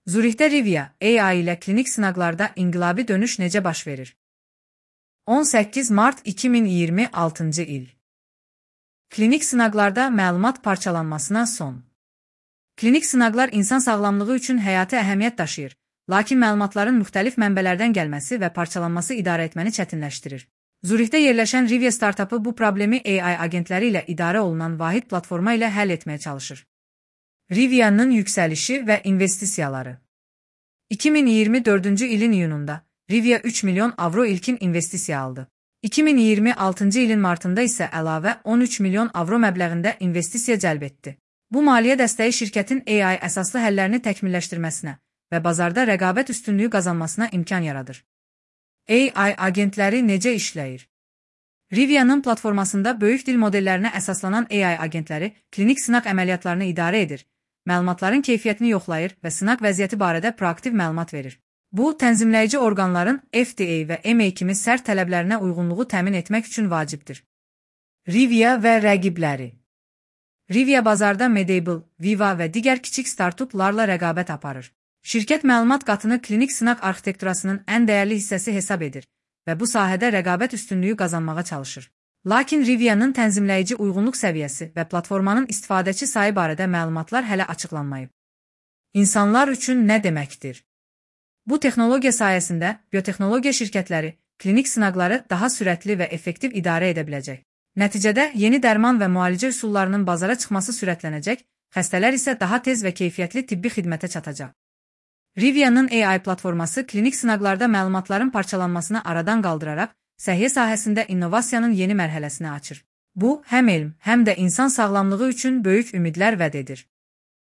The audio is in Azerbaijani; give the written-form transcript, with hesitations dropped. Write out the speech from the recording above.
Zürihdə Rivia AI ilə klinik sınaqlarda inqilabi dönüş necə baş verir? 18 mart 2026-cı il. Klinik sınaqlarda məlumat parçalanmasına son. Klinik sınaqlar insan sağlamlığı üçün həyati əhəmiyyət daşıyır, lakin məlumatların müxtəlif mənbələrdən gəlməsi və parçalanması idarə etməni çətinləşdirir. Zürihdə yerləşən Rivia startapı bu problemi AI agentləri ilə idarə olunan vahid platforma ilə həll etməyə çalışır. Rivia'nın yüksəlişi və investisiyaları. 2024-cü ilin iyununda Rivia 3 milyon avro ilkin investisiya aldı. 2026-cı ilin martında isə əlavə 13 milyon avro məbləğində investisiya cəlb etdi. Bu maliyyə dəstəyi şirkətin AI əsaslı həllərini təkmilləşdirməsinə və bazarda rəqabət üstünlüyü qazanmasına imkan yaradır. AI agentləri necə işləyir? Rivia'nın platformasında böyük dil modellərinə əsaslanan AI agentləri klinik sınaq əməliyyatlarını idarə edir, məlumatların keyfiyyətini yoxlayır və sınaq vəziyyəti barədə proaktiv məlumat verir. Bu, tənzimləyici orqanların FDA və EMA kimi sərt tələblərinə uyğunluğu təmin etmək üçün vacibdir. Rivia və rəqibləri. Rivia bazarda Medable, Viva və digər kiçik startuplarla rəqabət aparır. Şirkət məlumat qatını klinik sınaq arxitekturasının ən dəyərli hissəsi hesab edir və bu sahədə rəqabət üstünlüyü qazanmağa çalışır. Lakin Rivia'nın tənzimləyici uyğunluq səviyyəsi və platformanın istifadəçi sayı barədə məlumatlar hələ açıqlanmayıb. İnsanlar üçün nə deməkdir? Bu texnologiya sayəsində biotexnologiya şirkətləri klinik sınaqları daha sürətli və effektiv idarə edə biləcək. Nəticədə yeni dərman və müalicə üsullarının bazara çıxması sürətlənəcək, xəstələr isə daha tez və keyfiyyətli tibbi xidmətə çatacaq. Rivia'nın AI platforması klinik sınaqlarda məlumatların parçalanmasını aradan qaldıraraq, səhiyyə sahəsində innovasiyanın yeni mərhələsini açır. Bu, həm elm, həm də insan sağlamlığı üçün böyük ümidlər vəd edir.